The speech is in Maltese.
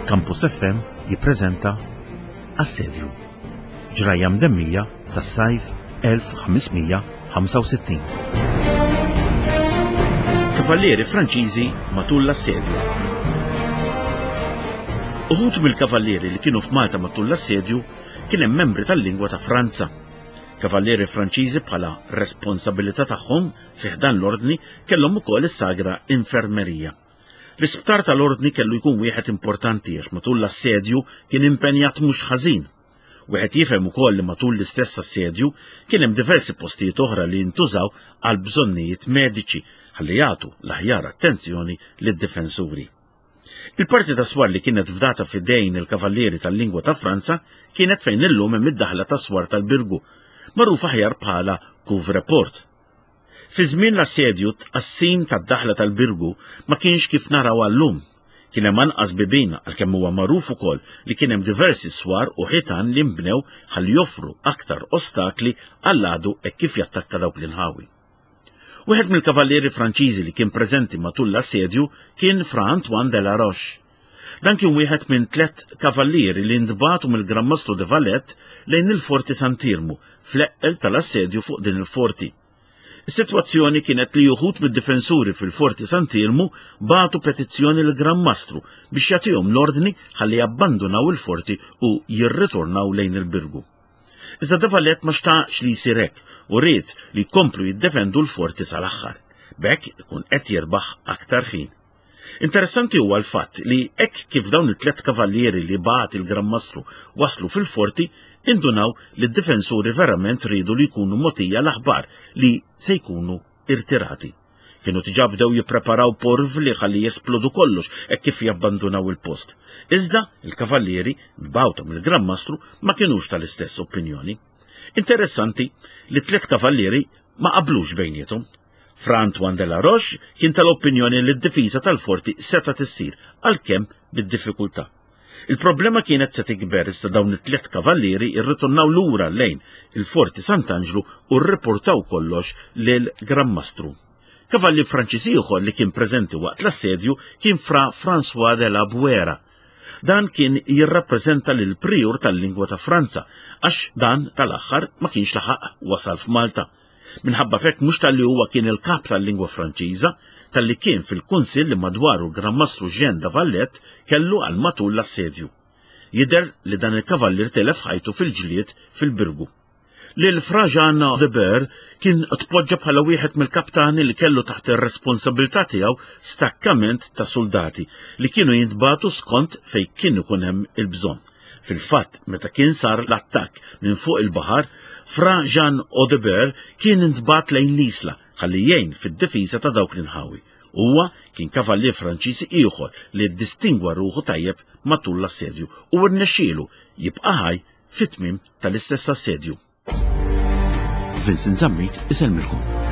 Campus FM jippreżenta Assedju. Ġrajja mdemmija tas-sajf 1565. Kavallieri Franċiżi matul l-assedju. Uħud mill-kavallieri li kienu f'Malta matul l-assedju kien hemm membri tal-lingwa ta' Franza. Kavallieri Franċiżi bħala responsabilità tagħhom fi ħdan l-ordni kellhom ukoll is-sagra infermerija. L-isptar tal-Ordni kellu jkun wieħed importanti għax matul l-assedju kien impenjat mhux ħażin. Wieħed jifhem ukoll li matul l-istess assedju kien hemm diversi postijiet oħra li ntużaw għal bżonnijiet mediċi ħalli jagħtu l-aħjar attenzjoni lid-difensuri. Il-parti ta' swar li kienet fdata f'idejn il-kavallieri tal-lingwa ta' Franza kienet fejn illum hemm id-daħla ta' swar tal-Birgu, magħruf aħjar bħala Couvre-Port. Fi żmien l-assedju t-tqassim tad-daħla tal-Birgu ma kienx kif narawha llum. Kien hemm anqas bibien għalkemm huwa magħruf ukoll li kien hemm diversi swar u ħitan li nbnew ħalli joffru aktar ostakli għall-għadu hekk kif jattakka dawk l-inħawi. Wieħed mill-kavallieri Franċiżi li kien preżenti matul l-assedju kien Fra Antoine de la Roche. Dan kien wieħed minn tlett kavallieri li ntbagħtu mill-Gran Mastru de Valette lejn il-Forti Sant'Iermu fl-eqqel tal-assedju fuq din il-forti. Is-sitwazzjoni kienet li uħud mid-difensuri fil-Forti Sant'Iermu bagħtu petizzjoni lill-Gran Mastru biex jagħtihom l-ordni ħalli jabbandunaw il-forti u jirritornaw lejn il-Birgu. Iżda de Valette ma xtaqx li jsir hekk u ried li jkomplu jiddefendu l-forti sal-aħħar. B'hekk ikun qed jirbaħ aktar ħin. Interessanti huwa l-fatt li hekk kif dawn it-tlett kavallieri li bagħat il-Gran Mastru waslu fil-forti, indunaw li d-difensuri verament riedu li jkunu mogħtija l-aħbar li se jkunu irtirati. Kienu diġà bdew jippreparaw porvli ħalli jesplodu kollox hekk kif jabbandunaw il-post. Iżda il-kavallieri mibgħuta mill-Gran Mastru ma kinux tal-istess opinjoni. Interessanti li t-tlett kavallieri ma qablux bejniethom. Fra Antoine de la Roche kien tal-opinjoni li d-difiża tal-forti setgħet issir, għalkemm bid-diffikultà. Il-problema kienet se tikber iżda dawn it-tlett kavallieri rritornaw lura lejn il-Forti Sant'Anġlu u rriportaw kollox lil Gran Mastru. Kavallier Franċiż ieħor li kien preżenti waqt l-assedju kien Fra François de la Buera. Dan kien jirrappreżenta lil prijur tal-lingwa ta' Franza għax dan tal-aħħar ma kienx laħaq wasal f'Malta. Minħabba f'hekk mhux talli huwa kien il-kap tal-lingwa Franċiża, talli kien fil-kunsill li madwaru l-Gran Mastru Jean de Valette kellu għal matul l-assedju. Jidher li dan il-kavallier tilef ħajtu fil-ġlied fil-Birgu. Lil Fra Jean de Ber kien tpoġġa bħala wieħed mill-kaptani li kellu taħt ir-responsabilità tiegħu stakkament ta' suldati li kienu jintbagħtu skont fejn kien ikun hemm il-bżonn. Fil-fatt, meta kien sar l-attakk minn fuq il-baħar, Fra Jean Audebert kien intbagħat lejn l-Isla ħalli jgħin fid-difiża ta' dawk l-inħawi. Huwa kien kavallier Franċiż ieħor li ddistingwa ruħu tajjeb matul l-assedju u rnexxielu jibqa' ħaj fit-tmiem tal-istess assedju. Vincent Zammit isellmilkom.